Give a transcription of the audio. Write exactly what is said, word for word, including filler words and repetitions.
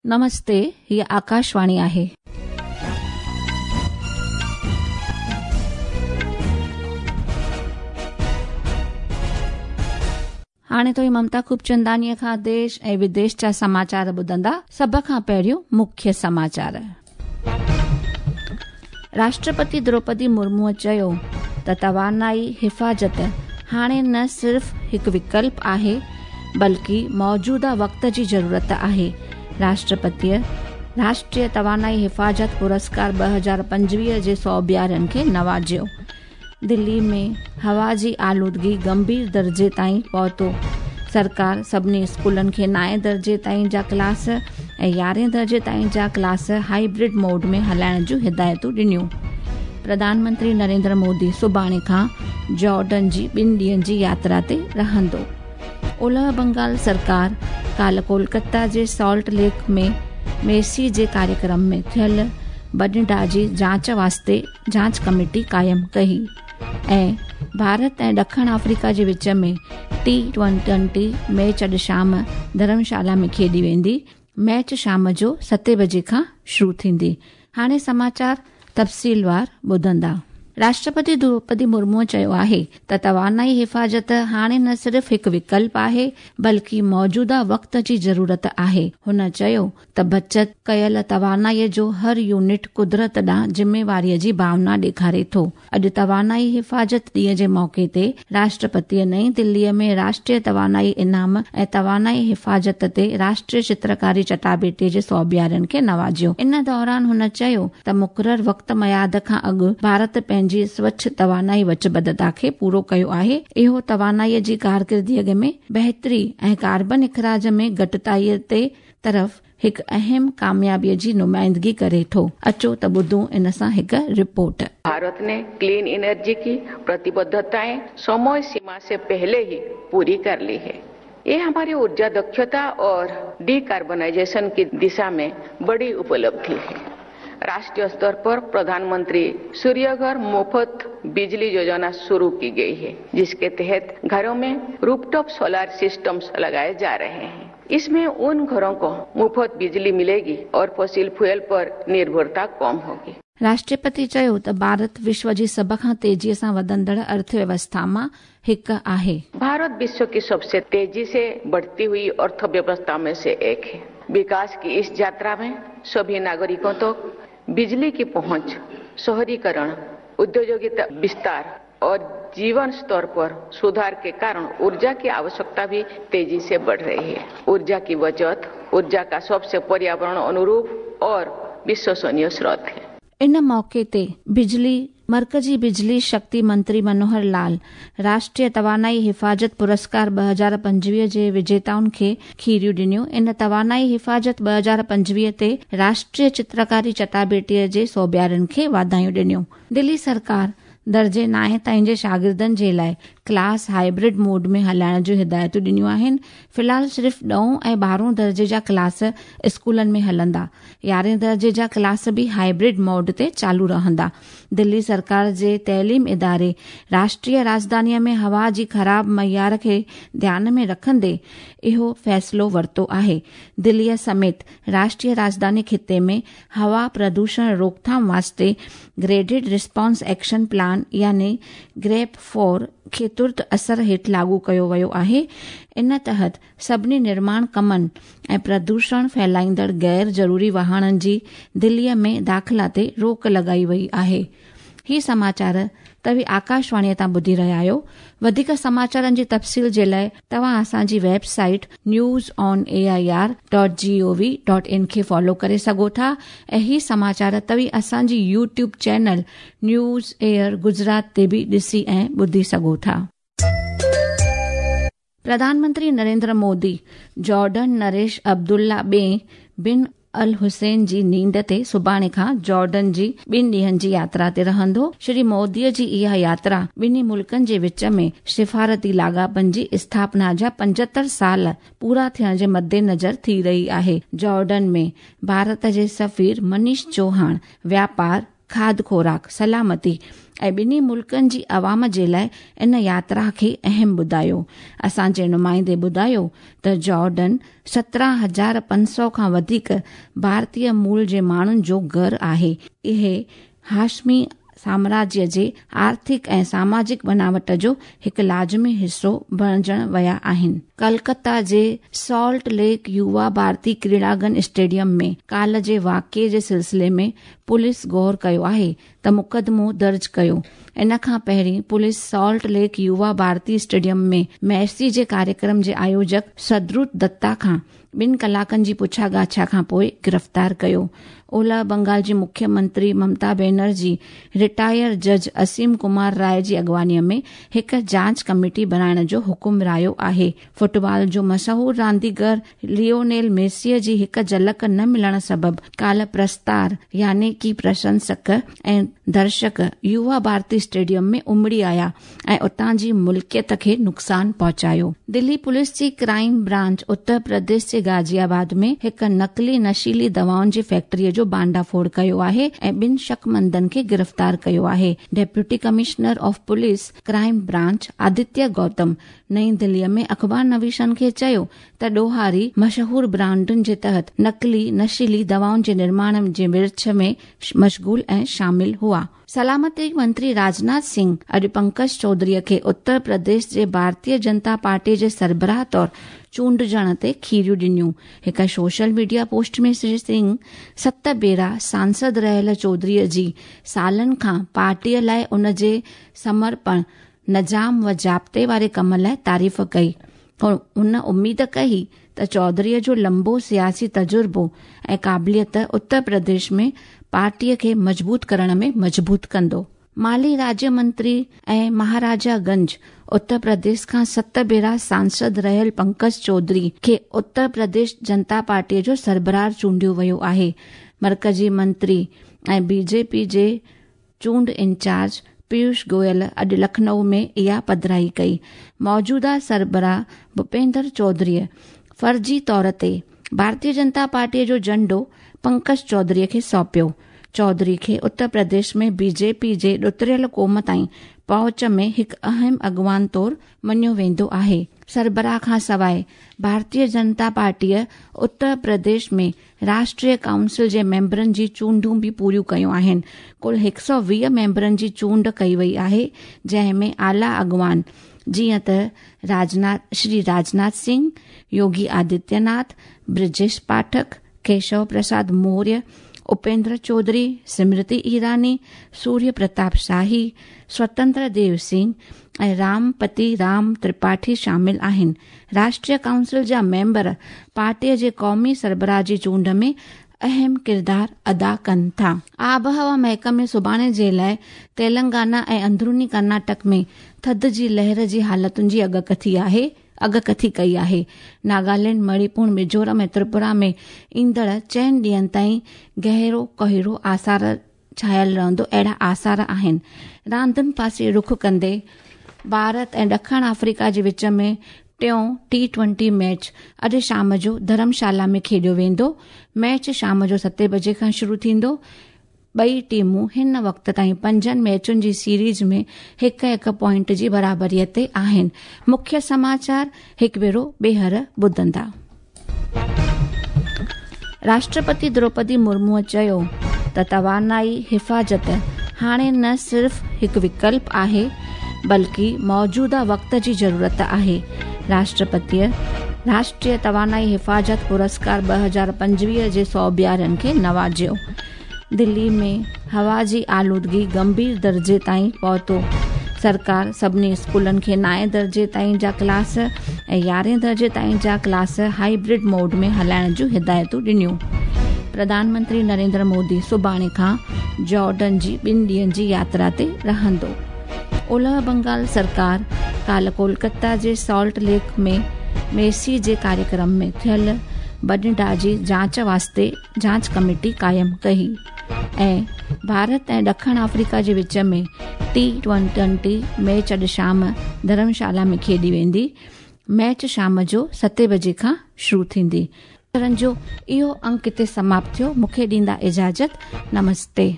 नमस्ते, ही आकाशवाणी आहे. हाणे तो ममता खूबचंदानीअ खां देश ऐं विदेश जा समाचार ॿुधंदा। सभ खां पहिरियों मुख्य समाचार। राष्ट्रपति द्रौपदी मुर्मूअ चयो त तवानाई हिफाज़त हाणे न सिर्फ़ हिकु विकल्प आहे बल्कि मौजूदा वक़्त जी ज़रूरत आहे। राष्ट्रपतीअ राष्ट्रीय तवानाई हिफाज़त पुरस्कार ॿ हज़ार पंजवीह जे सौबियारनि खे नवाज़ियो। दिल्ली में हवा जी आलूदगी गंभीर दर्जे ताईं पहुतो। सरकार सभिनी स्कूलनि खे नाएं दर्जे ताईं जा क्लास ऐं यारहें दर्जे ताईं जा क्लास हाइब्रिड मोड में हलाइण जूं हिदायतूं ॾिनियूं। प्रधानमंत्री नरेंद्र मोदी सुभाणे खां जॉर्डन जी ॿिनि ॾींहनि जी यात्रा ते रहंदो। ओलह बंगाल सरकार काल्ह कोलकाता जे सॉल्ट लेक में मेसी जे कार्यक्रम में थियल बॾिडा जी जांच वास्ते जांच कमेटी क़ाइमु कई। ऐं भारत ऐं ॾखिण अफ्रीका जे विच में टी ट्वेंटी मैच अॼु शाम धर्मशाला में खेॾी वेंदी। मैच शाम जो सते बजे खां शुरू थींदी। हाणे समाचार तफ़सीलवार ॿुधंदा। राष्ट्रपति द्रौपदी मुर्मूअ चयो आहे त तवानाई हिफाज़त हाणे न सिर्फ़ हिकु विकल्प आहे बल्कि मौजूदा वक़्त जी ज़रूरत आहे। हुन चयो त बचत कयल तवानाईअ जो हर यूनिट कुदरत ॾांहुं ज़िम्मेवारीअ जी भावना ॾेखारे थो। अॼु तवानाई हिफाज़त ॾींहं जे मौक़े ते राष्ट्रपतीअ नई दिल्लीअ में राष्ट्रीय तवानाई इनाम ऐं तवानाई हिफाज़त ते राष्ट्रीय चित्रकारी चटाबेटीअ जे सौबियारनि खे नवाज़ियो। इन दौरान हुन चयो त मुक़ररु वक़्त मयाद खां अॻु भारत पंहिंजी स्वच्छ तवानाई वचबद्धता खे पूरो कयो आहे। इहो तवानाईअ जी कारकर्दगीअ में बहितरी ऐं कार्बन अख़राज में घटिताईअ ते तरफ़ हिकु अहम कामयाबीअ जी नुमाइंदगी करे थो। अचो त ॿुधूं इन सां हिकु रिपोर्ट। भारत ने क्लीन एनर्जी की प्रतिबद्धताएं समय सीमा से पहले ही पूरी कर ली है। ये हमारी ऊर्जा दक्षता और डीकार्बोनाइजेशन की दिशा में बड़ी उपलब्धि है। राष्ट्रीय स्तर पर प्रधानमंत्री सूर्यघर मुफ्त बिजली योजना शुरू की गई है, जिसके तहत घरों में रूफटॉप सोलर सिस्टम्स लगाए जा रहे हैं। इसमें उन घरों को मुफ्त बिजली मिलेगी और फॉसिल फ्यूल पर निर्भरता कम होगी। राष्ट्रपति चयो त भारत विश्व जी सभ खां तेज़ीअ सां वधंदड़ अर्थव्यवस्था मां हिकु आहे। भारत विश्व की सबसे तेजी से बढ़ती हुई अर्थव्यवस्था में से एक है। विकास की इस यात्रा में सभी नागरिकों तक बिजली की पहुंच, शहरीकरण, औद्योगिक विस्तार और जीवन स्तर पर सुधार के कारण ऊर्जा की आवश्यकता भी तेजी से बढ़ रही है। ऊर्जा की बचत ऊर्जा का सबसे पर्यावरण अनुरूप और विश्वसनीय स्रोत है। इन मौके ते बिजली मरकजी बिजली शक्ति मंत्री मनोहर लाल राष्ट्रीय तवानाई हिफाज़त पुरस्कार ॿ हज़ार पंजवीह जे विजेताउनि खे खीरियूं ॾिनियूं। इन तवानाई हिफाज़त ॿ हज़ार पंजवीह ते राष्ट्रीय चित्रकारी चटाबेटीअ जे सौबियारनि खे वाधायूं ॾिनियूं। दिल्ली सरकार दर्जे नाएं ताईं जे शागिर्दनि जे लाइ क्लास हाइब्रिड मोड में हलाइण जूं हिदायतूं ॾिनियूं आहिनि। फ़िलहाल सिर्फ़ ॾहों ऐं ॿारहों दर्जे जा क्लास स्कूलनि में हलंदा। यारहें दर्जे जा क्लास बि हाइब्रिड मोड ते चालू रहंदा। दिल्ली सरकार जे तइलीम इदारे राष्ट्रीय राजधानीअ में हवा जी ख़राब मयार खे ध्यान में रखंदे इहो फ़ैसिलो वरितो आहे। दिल्लीअ समेत राष्ट्रीय राजधानी ख़िते में हवा प्रदूषण रोकथाम वास्ते ग्रेडेड रिस्पॉन्स एक्शन प्लान यानी ग्रेप फोर खे तुर्त असर हेठि लागू कयो वियो आहे। इन तहत सभिनी निर्माण कमनि ऐं प्रदूषण फैलाईंदड़ गैर ज़रूरी वाहननि जी दिल्लीअ में दाख़िला ते रोक लॻाई वई आहे। ही समाचार तव्हीं आकाशवाणीअ तां ॿुधी रहिया आहियो। वधीक समाचारनि जी तफ़सील जे लाइ तव्हां असांजी website news on A I R dot G O V dot in खे फॉलो करे सघो था ऐं ही समाचार तव्हीं असांजी YouTube channel news air Gujarat ते बि ॾिसी ऐं ॿुधी सघो था। प्रधानमंत्री नरेंद्र मोदी जॉर्डन नरेश अब्दुल्ला ॿिए बिन अल हुसैन जी नींद ते सुभाणे खां जॉर्डन जी ॿिनि ॾींहनि जी यात्रा ते रहंदो। श्री मोदीअ जी इहा यात्रा ॿिन्ही मुल्कनि जे विच में सिफारती लाॻापनि जी स्थापना जा पंजहतरि साल पूरा थियण जे मद्देनज़र थी रही आहे। जॉर्डन में भारत जे सफ़ीर मनीष चौहान व्यापार, کاڌ خوراڪ، سلامتي ۽ ٻنهي ملڪن جي عوام جي لاءِ ان ياترا کي اهم ٻڌايو. اسان جي نمائندي ٻڌايو ته جارڊن سترهن هزار پنج سؤ کان وڌيڪ ڀارتيه مول جي ماڻهن جو گهر آهي. اهي هاشمي سامراجيه جي آرٿڪ ۽ ساماجڪ بناوٽ جو هڪ لازمي حصو بڻجڻ ويا آهن. ڪلڪتا جي سالٽ ليڪ يووا ڀارتي ڪريڙانگن اسٽيڊيم ۾ ڪالهه جي واقعي جي سلسلي ۾ پوليس غور ڪيو آهي ته مقدمو درج ڪيو. ان کان پهرين police Salt Lake Yuva Bharati stadium ۾ Messi جي ڪاريڪرم جي آيوجڪ سدروت دتا کان ٻن ڪلاڪن جي پڇا ڳاڇا کان پوءِ گرفتار ڪيو. اولهه بنگال جي مکيه منتري ممتا بينرجي رٽائر جج اسيم ڪمار راءِ جي اڳواڻيءَ ۾ هڪ جاچ ڪميٽي بڻائڻ جو حڪم رايو آهي. فٽبال جو مشهور رانديگر ليونيل ميسيءَ جي هڪ جهلڪ نه ملڻ سبب ڪالهه پرستار يعني ڪه پرشنسڪ ۽ درشڪ يووا ڀارتي اسٽيڊيم ۾ امڙي آيا ۽ اتان جي ملڪيت کي نقصان پهچايو. دلي پوليس جي ڪرائيم برانچ اتر پرديش جي غازي آباد ۾ هڪ نقلي نشيلي دوائن جي فيڪٽريءَ جو ڀانڊافوڙ ڪيو آهي ۽ ٻن شڪمندن کي گرفتار ڪيو آهي. Deputy commissioner of police crime branch Aditya Gautam نئين دليءَ ۾ اخبار نويسن کي چيو ته ڏوهاري مشهور برانڊن جي تحت نقلي نشيلي دوائن جي نرماڻ جي ورڇ ۾ مشغول ۽ شامل هئا. سلامتي منتري راجناٿ سنگهه اڄ پنڪج چوڌريءَ کي اتر پرديش جي ڀارتيه جنتا پارٽي جي سربراهه طور چونڊجڻ تي کيريون ڏنيون. هڪ social media post ۾ Shri Singh ست ڀيرا سانسد رهيل چوڌريءَ جي سالن کان پارٽيءَ لاءِ ان جي سمرپڻ، نظام و ضابطي واري ڪم لاءِ تعريف ڪئي. هن اميد ڪئي ته چوڌريءَ جو لمبو سياسي تجربو ۽ قابليت اتر پرديش ۾ پارٽيءَ کي مضبوط ڪرڻ ۾ مضبوط ڪندو. مالي راجيه منتري ۽ مهاراجا گنج اتر پرديش کان ست ڀيرا سانسد رهيل پنڪج چوڌري کي اتر پرديش جنتا پارٽيءَ جو سربراهه چونڊيو ويو آهي. مرڪزي منتري ۽ بي جي پي جي چونڊ انچارج پيوش گويل اڄ لکنؤ ۾ اها پڌرائي ڪئي. موجوده سربراهه ڀوپيندر چوڌريءَ فرضي طور تي ڀارتيه جنتا پارٽيءَ جو جهنڊو پنڪج چوڌريءَ کي سونپيو. چوڌري کي اتر پرديش ۾ بي جي پي جي ڏتڙيل قوم تائين پهچ ۾ هڪ اهم اڳواڻ طور مڃيو ويندو آهي. سربراهه کان سواءِ ڀارتيه جنتا پارٽيءَ اتر پرديش ۾ راشٽريه ڪائونسل جي ميمبرن جي چونڊون به پوريون ڪيون آهن. ڪل هڪ سؤ ويهه ميمبرن جي چونڊ ڪئي وئي آهي، جنهن ۾ اعليٰ اڳواڻ جيئن ته راجناٿ شري راجناٿ سنگهه، يوگي آدتيه ناٿ، برجيش پاٺڪ، ڪيشو پرساد موريه، اپيندر چوڌري، سمرتي ايراني، سوريه پرتاپ شاهي، سوتنتر ديو سنگهه ۽ رامپتي رام ترپاٺي شامل آهن. راشٽريه ڪائونسل جا ميمبر پارٽيءَ جي قومي سربراهه جي چونڊ ۾ اهم ڪردار ادا ڪن ٿا. آبهوا محڪمي سڀاڻي جي لاءِ تيلنگانا ۽ اندروني ڪرناٽڪ ۾ ٿڌ جي لهر جي حالتن جي اڳڪٿي آهي اڳڪٿي ڪئي آهي. ناگالينڊ، مڻيپور، ميزورم ۽ تريپورا ۾ ايندڙ چئن ڏينهن تائين گهرو ڪهرو آثار ڇانيل رهندو اهڙا آثار آهن. راندن پاسي رخ ڪندي ڀارت ۽ ڏکڻ آفريڪا جي وچ ۾ ٽيون ٽي ٽوئنٽي ميچ اڄ شام جو ڌرمشالا ۾ کيڏيو ويندو. ميچ شام جو ستين بجي کان شروع ٿيندو. ٻئي ٽيمون هن وقت تائين پنجن ميچن جي سيريز ۾ هڪ هڪ پوائنٽ جي برابريءَ تي آهن. مکيه سماچار هڪ ڀيرو ٻيهر ٻڌندا. راشٽرپتي دروپدي مرموءَ چيو ته توانائي حفاظت هاڻي نه صرف هڪ وڪلپ آهي بلڪه موجوده وقت جي ضرورت آهي. راشٽرپتيءَ راشٽريه توانائي حفاظت پرسڪار ٻه هزار پنجويهه جي سوڀيارن کي نوازيو. دلي ۾ هوا جي آلودگي گنڀير درجي تائين پهتو. سرڪار سڀني اسڪولن کي نائين درجي تائين جا ڪلاس ۽ يارهين درجي تائين جا ڪلاس هائبرڊ موڊ ۾ هلائڻ جون هدايتون ڏنيون. پرڌان منتري نريندر مودي سڀاڻي کان جارڊن جي ٻن ڏينهن جي ياترا تي رهندو. اولهه بنگال سرڪار ڪالهه ڪولڪتا جي سالٽ ليڪ ۾ ميسي جي ڪاريڪرم ۾ ٿيل ڀڃڊاهه جي جاچ واسطي جاچ ڪميٽي قائم ڪئي. ۽ ڀارت ۽ ڏکڻ آفريڪا جي وچ ۾ ٽي ٽوئنٽي ميچ اڄ شام ڌرمشالا ۾ کيڏي ويندي. ميچ شام جو ستين بجي کان شروع ٿيندي. جو اهو انڪ هتي سماپت ٿيو. مون کي ڏيندا اجازت. نمستي.